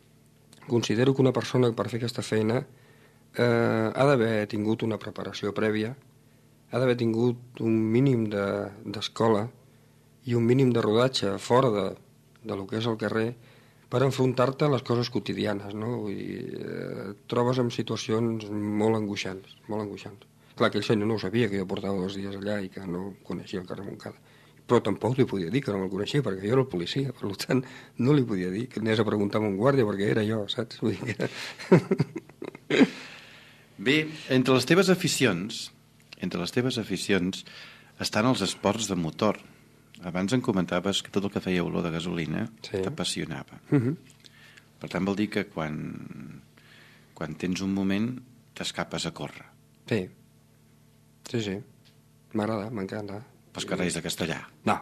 considero que una persona per fer aquesta feina ha d'haver tingut una preparació prèvia, ha d'haver tingut un mínim d'escola i un mínim de rodatge fora de lo que és el carrer per enfrontar-te a les coses quotidianes, no? Vull dir, et trobes en situacions molt angoixants, molt angoixants. Clar, aquell senyor no ho sabia, que jo portava 2 dies allà i que no coneixia el carrer Montcada. Però tampoc li podia dir que no me'l coneixia, perquè jo era el policia, per tant, no li podia dir que anés a preguntar a un guàrdia, perquè era jo, saps? Vull dir que...
Bé, entre les teves aficions estan els esports de motor. Abans em comentaves que tot el que feia olor de gasolina t'apassionava. Per tant, vol dir que quan tens un moment t'escapes a córrer.
Sí. M'agrada, m'encanta.
Pels carrers de Castellà?
No.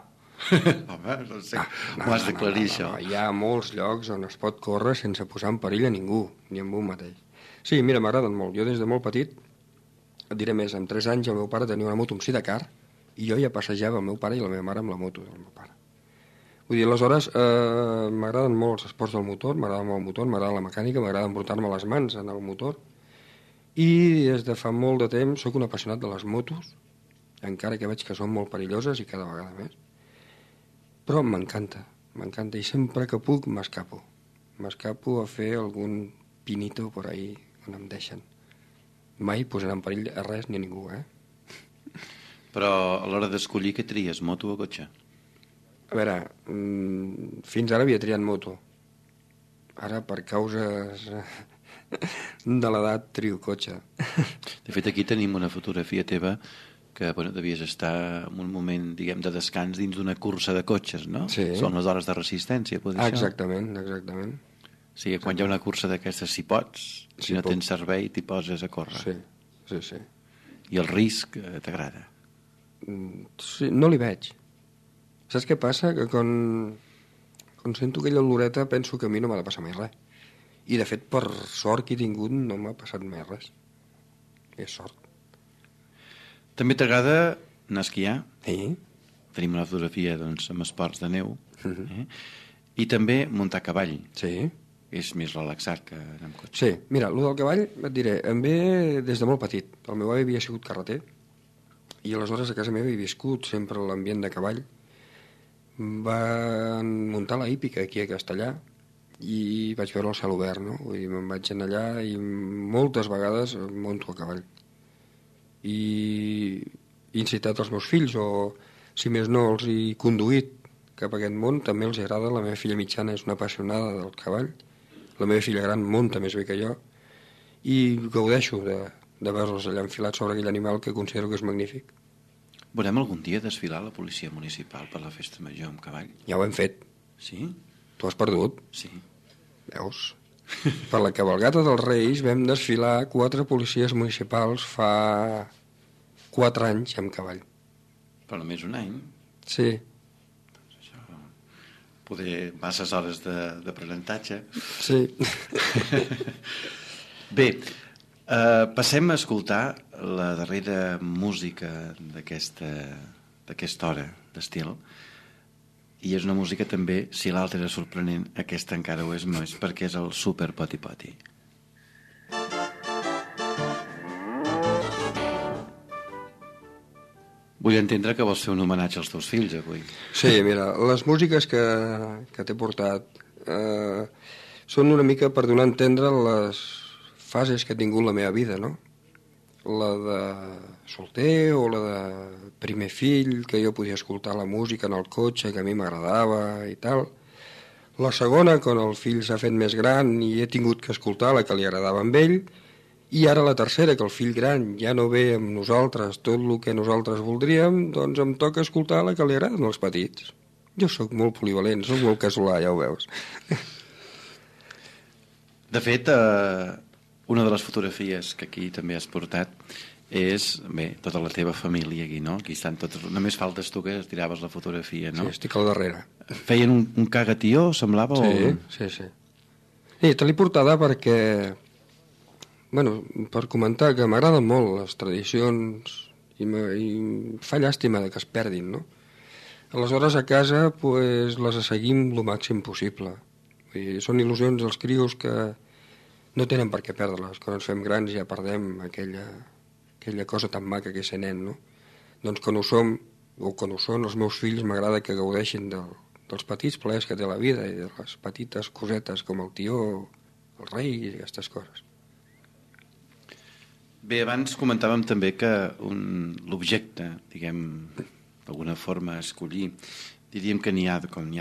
Home, no sé, m'ho has d'aclarir, això.
Hi ha molts llocs on es pot córrer sense posar en perill a ningú, ni amb un mateix. Sí, mira, m'agraden molt. Jo des de molt petit, et diré més, amb 3 anys el meu pare tenia una moto amb sidecar i jo ja passejava el meu pare i la meva mare amb la moto del meu pare. Vull dir, aleshores, m'agraden molt els esports del motor, m'agrada molt el motor, m'agrada la mecànica, m'agrada embrutar-me les mans en el motor i des de fa molt de temps sóc un apassionat de les motos, encara que veig que són molt perilloses i cada vegada més. però m'encanta, i sempre que puc m'escapo a fer algun pinito por ahí on em deixen. Mai posarà en perill a res ni a ningú,
Però a l'hora d'escollir què tries, moto o cotxe?
A veure, fins ara havia triat moto. Ara, per causes de l'edat, trio cotxe.
De fet, aquí tenim una fotografia teva que devies estar en un moment, diguem, de descans dins d'una cursa de cotxes, no?
Sí.
Són les hores de resistència, pot dir això?
Exactament.
O sigui, quan hi ha una cursa d'aquestes, si pots, si no tens servei, t'hi poses a córrer.
Sí.
I el risc t'agrada?
Sí, no li veig. Saps què passa? Que quan sento aquella oloreta penso que a mi no m'ha de passar mai res. I de fet, per sort que he tingut, no m'ha passat mai res. És sort.
També t'agrada anar a esquiar?
Sí.
Tenim una fotografia, doncs, amb esports de neu. I també muntar a cavall.
Sí.
És més relaxat que anar amb cotxe.
Sí, mira, el del cavall, et diré, em ve des de molt petit. El meu avi havia sigut carreter i aleshores a casa meva he viscut sempre l'ambient de cavall. Van muntar la hípica aquí a Castellà i vaig veure el cel obert, no? Vull dir, me'n vaig anar allà i moltes vegades monto a cavall. I he incitat els meus fills, o si més no els he conduït cap a aquest món. També els agrada. La meva filla mitjana és una apassionada del cavall. La meva filla gran munta més bé que jo i gaudeixo de veure-los allà enfilats sobre aquell animal que considero que és magnífic.
Veurem algun dia desfilar la policia municipal per la festa major amb cavall?
Ja ho hem fet.
Sí?
Tu has perdut?
Sí.
Veus? Per la cabalgata dels Reis vam desfilar 4 policies municipals fa 4 anys amb cavall.
Però només un any?
Sí.
Poder masses hores d'aprenentatge.
Sí.
Bé, passem a escoltar la darrera música d'aquesta hora d'estil. I és una música també, si l'altra era sorprenent, aquesta encara ho és més, perquè és el Super Poti Poti. Vull entendre que vols fer un homenatge als teus fills avui.
Sí, mira, les músiques que t'he portat són una mica per donar a entendre les fases que ha tingut la meva vida, no? La de solter o la de primer fill, que jo podia escoltar la música en el cotxe, que a mi m'agradava i tal. La segona, quan el fill s'ha fet més gran i he tingut que escoltar la que li agradava amb ell. I ara la tercera, que el fill gran ja no ve amb nosaltres tot el que nosaltres voldríem, doncs em toca escoltar la que li agraden als petits. Jo sóc molt polivalent, sóc molt casolà, ja ho veus.
De fet, una de les fotografies que aquí també has portat és, bé, tota la teva família aquí, no? Aquí estan tots, només faltes tu que tiraves la fotografia, no?
Sí, estic al darrere.
Feien un cagatió, semblava?
Sí. Sí, te l'he portada perquè... Bueno, per comentar que m'agraden molt les tradicions i fa llàstima que es perdin, no? Aleshores a casa pues, les seguim el màxim possible. Vull dir, són il·lusions dels crios que no tenen per què perdre-les. Quan ens fem grans ja perdem aquella cosa tan maca que és ser nen, no? Doncs quan ho som, o quan ho són els meus fills, m'agrada que gaudeixin dels petits plaers que té la vida i de les petites cosetes com el tió, el rei i aquestes coses.
Bé, abans comentàvem també que l'objecte, diguem, d'alguna forma a escollir, diríem que n'hi ha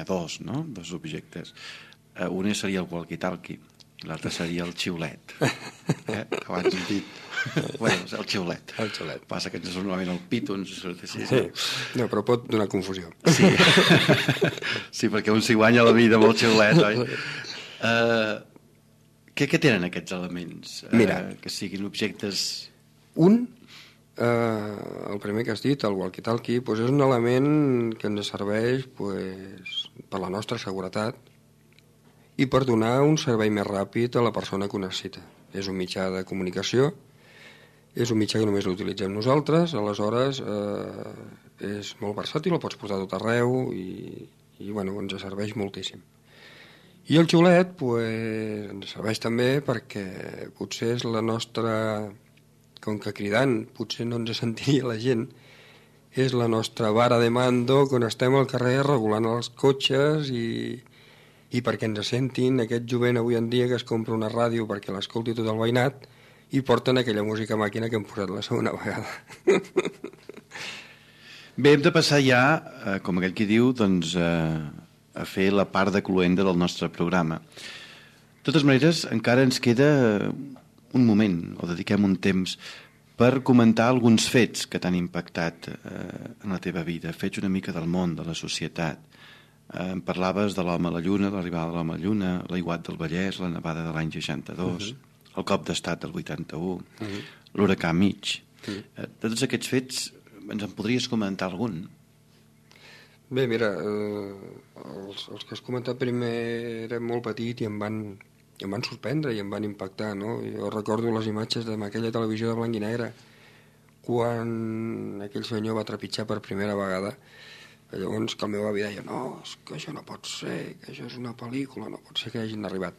dos, no? Dos objectes. Un seria el walkie-talkie i l'altre seria el xiulet. Abans hem dit... Bueno, el xiulet.
El xiulet.
Passa que ens surt normalment el pito, ens surt així.
Sí, no, però pot donar confusió.
Sí, sí, perquè un s'hi guanya la vida amb el xiulet, oi? Què tenen aquests elements?
Mira,
que siguin objectes...
El primer que has dit, el walkie-talkie, doncs és un element que ens serveix per la nostra seguretat i per donar un servei més ràpid a la persona que ho necessita. És un mitjà de comunicació, és un mitjà que només l'utilitzem nosaltres, aleshores és molt versàtil, el pots portar a tot arreu i bueno, ens serveix moltíssim. I el xiulet ens serveix també perquè potser és la nostra... Com que cridant potser no ens sentiria la gent és la nostra vara de mando quan estem al carrer regulant els cotxes i perquè ens sentin aquest jovent avui en dia que es compra una ràdio perquè l'escolti tot el veïnat i porten aquella música màquina que hem posat la segona vegada.
Bé, hem de passar ja, com aquell qui diu, doncs, a fer la part de cluenda del nostre programa. De totes maneres, encara ens queda un moment, o dediquem un temps, per comentar alguns fets que t'han impactat en la teva vida, fets una mica del món, de la societat. Em parlaves de l'home a la lluna, l'arribada de l'home a la lluna, l'aiguat del Vallès, la nevada de l'any 62, el cop d'estat del 81, l'huracà Mitch. De tots aquests fets, ens en podries comentar algun?
Bé, mira, els que has comentat primer eren molt petit i em van sorprendre i em van impactar, no? Jo recordo les imatges d'aquella televisió de blanc i negre quan aquell senyor va trepitjar per primera vegada. Llavors que el meu avi deia no, és que això no pot ser, que això és una pel·lícula, no pot ser que hagin arribat.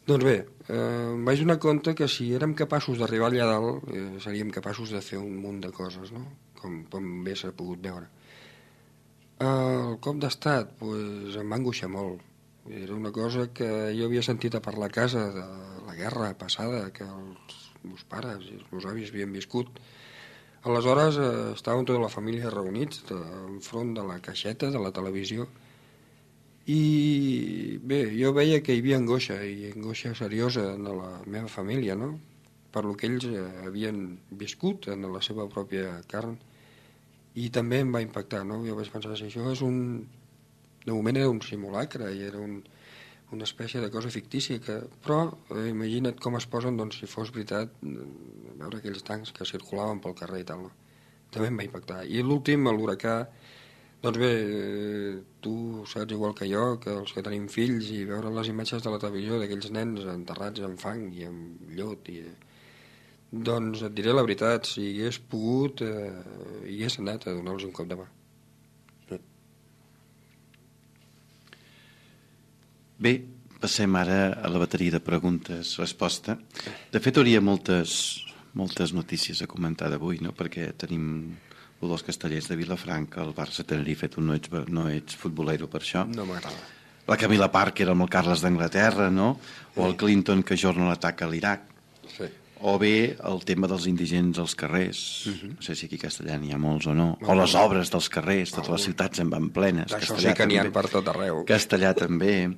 Doncs bé, em vaig donar compte que si érem capaços d'arribar allà dalt seríem capaços de fer un munt de coses, no? Com bé s'ha pogut veure. El cop d'estat pues, em va angoixar molt. Era una cosa que jo havia sentit a parlar a casa de la guerra passada, que els meus pares i els meus avis havien viscut. Aleshores estàvem tota la família reunits enfront de la caixeta de la televisió i bé, jo veia que hi havia angoixa i angoixa seriosa en la meva família, no? Per lo que ells havien viscut en la seva pròpia carn i també em va impactar, no? Jo vaig pensar, si això és de moment era un simulacre i era una espècie de cosa fictícia, però imagina't com es posen doncs, si fos veritat veure aquells tancs que circulaven pel carrer i tal. No? També em va impactar. I l'últim, l'huracà, doncs bé, tu saps igual que jo, que els que tenim fills i veure les imatges de la televisió d'aquells nens enterrats en fang i en llot doncs et diré la veritat, si hagués pogut hi hagués anat a donar-los un cop de mà.
Bé, passem ara a la bateria de preguntes-resposta. De fet, hauria moltes notícies a comentar d'avui, no? Perquè tenim el dels Castellers de Vilafranca, el Barça-Tenerife, tu no ets futbolero per això.
No m'agrada.
La Camila Parker amb el Carles d'Anglaterra, no? O el Clinton que ajorna l'atac a l'Iraq.
Sí.
O bé el tema dels indigents als carrers. No sé si aquí a Castellà n'hi ha molts o no. O les obres dels carrers, totes les ciutats en van plenes.
Això sí que n'hi ha per tot arreu.
Castellà també.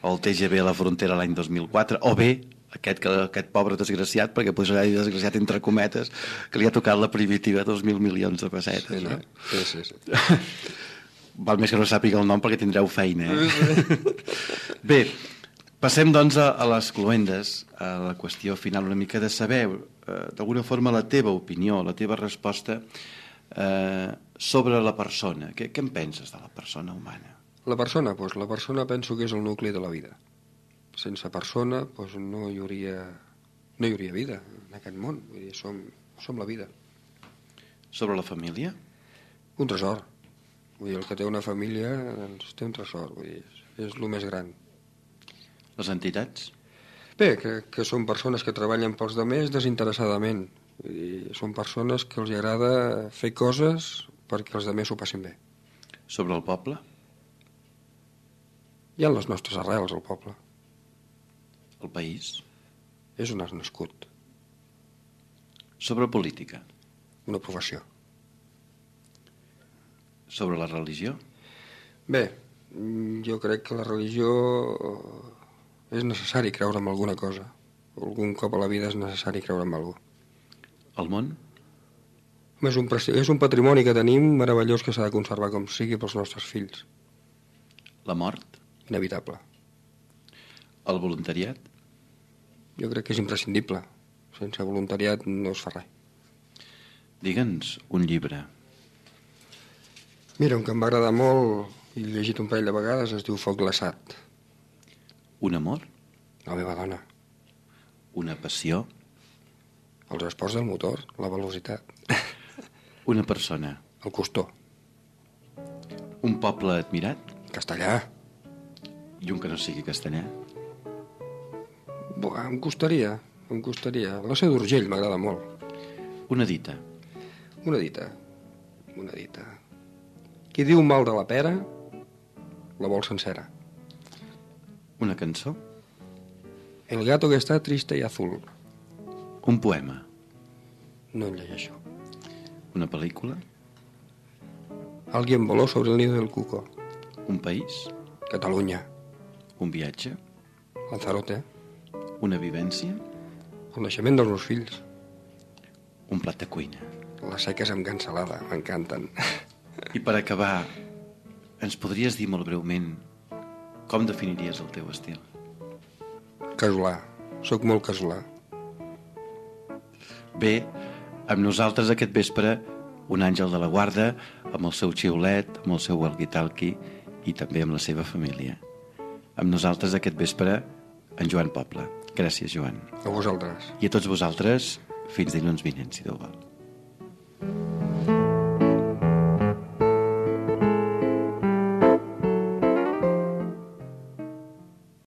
O el TGV a la frontera l'any 2004. O bé aquest pobre desgraciat, perquè posarà desgraciat entre cometes, que li ha tocat la primitiva 2.000 milions de pessetes.
Sí, no? Sí.
Val més que no sàpiga el nom perquè tindreu feina, Bé, passem doncs a les cloendes, a la qüestió final una mica de saber, d'alguna forma, la teva opinió, la teva resposta sobre la persona. Què en penses de la persona humana?
La persona penso que és el nucli de la vida. Sense persona no hi hauria vida en aquest món. Vull dir, som la vida.
Sobre la família?
Un tresor. Vull dir, el que té una família doncs, té un tresor. Vull dir, és el més gran.
Les entitats?
Bé, que són persones que treballen pels demés desinteressadament. Vull dir, són persones que els agrada fer coses perquè els demés ho passin bé.
Sobre el poble?
Hi ha les nostres arrels, al poble.
El país?
És on has nascut.
Sobre política?
Una professió.
Sobre la religió?
Bé, jo crec que la religió és necessari creure en alguna cosa. Algun cop a la vida és necessari creure en alguna cosa.
El món?
És un patrimoni que tenim meravellós que s'ha de conservar com sigui pels nostres fills.
La mort?
Inevitable.
El voluntariat?
Jo crec que és imprescindible. Sense voluntariat no es fa res.
Digue'ns un llibre.
Mira, un que em va agradar molt i he llegit un parell de vegades es diu Foc glaçat.
Un amor?
La meva dona.
Una passió?
Els esports del motor, la velocitat.
Una persona?
El costor.
Un poble admirat?
Castellà.
I un que no sigui castellà?
Em costaria. La Seu d'Urgell m'agrada molt.
Una dita?
Una dita. monedita. Qui diu mal de la pera, la vol sencera.
Una cançó?
El gato que está triste y azul.
Un poema?
No en llegeixo.
Una pel·lícula?
Alguien voló sobre el nido del cuco.
Un país?
Catalunya.
Un viatge?
Lanzarote.
Una vivència?
El naixement dels meus fills.
Un plat de cuina?
Les seques amb cansalada, m'encanten.
I per acabar, ens podries dir molt breument com definiries el teu estil?
Casolà. Soc molt casolà.
Bé, amb nosaltres aquest vespre un àngel de la guarda amb el seu xiulet, amb el seu walkie-talkie i també amb la seva família. Amb nosaltres aquest vespre en Joan Poble. Gràcies, Joan.
A vosaltres.
I a tots vosaltres, fins dilluns vinent, si Déu vol.